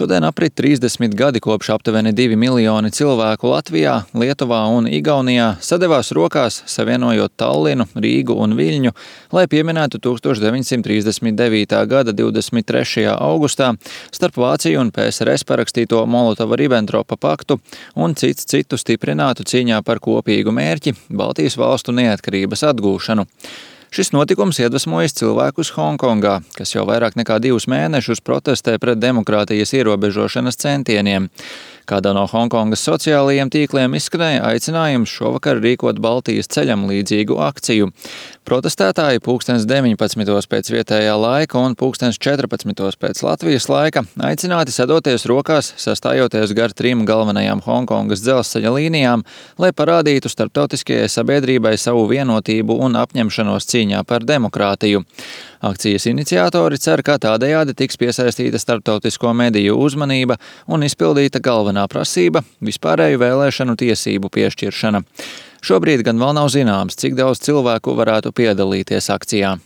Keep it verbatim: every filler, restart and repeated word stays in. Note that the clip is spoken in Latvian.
Šodien aprit trīsdesmit gadi kopš aptuveni divi miljoni cilvēku Latvijā, Lietuvā un Igaunijā sadevās rokās, savienojot Tallinu, Rīgu un Viļņu, lai pieminētu tūkstoš deviņsimt trīsdesmit devītā gada divdesmit trešajā augustā starp Vāciju un P S R S parakstīto Molotova-Ribentropa paktu un cits citu stiprinātu cīņā par kopīgu mērķi – Baltijas valstu neatkarības atgūšanu. Šis notikums iedvesmojas cilvēkus Honkongā, kas jau vairāk nekā divus mēnešus protestē pret demokrātijas ierobežošanas centieniem. Kādā no Honkongas sociālajiem tīkliem izskanēja aicinājums šovakar rīkot Baltijas ceļam līdzīgu akciju. Protestētāji pulkstens deviņpadsmitos pēc vietējā laika un pulkstens četrpadsmitos pēc Latvijas laika aicināti sadoties rokās, sastājoties gar trim galvenajām Honkongas dzelzceļa līnijām, lai parādītu starptautiskajai sabiedrībai savu vienotību un apņemšanos cīņā par demokrātiju. Akcijas iniciatori cer, ka tādējādi tiks piesaistīta starptautisko mediju uzmanība un izpildīta galvenā prasība – vispārēju vēlēšanu tiesību piešķiršana. Šobrīd gan vēl nav zināms, cik daudz cilvēku varētu piedalīties akcijā.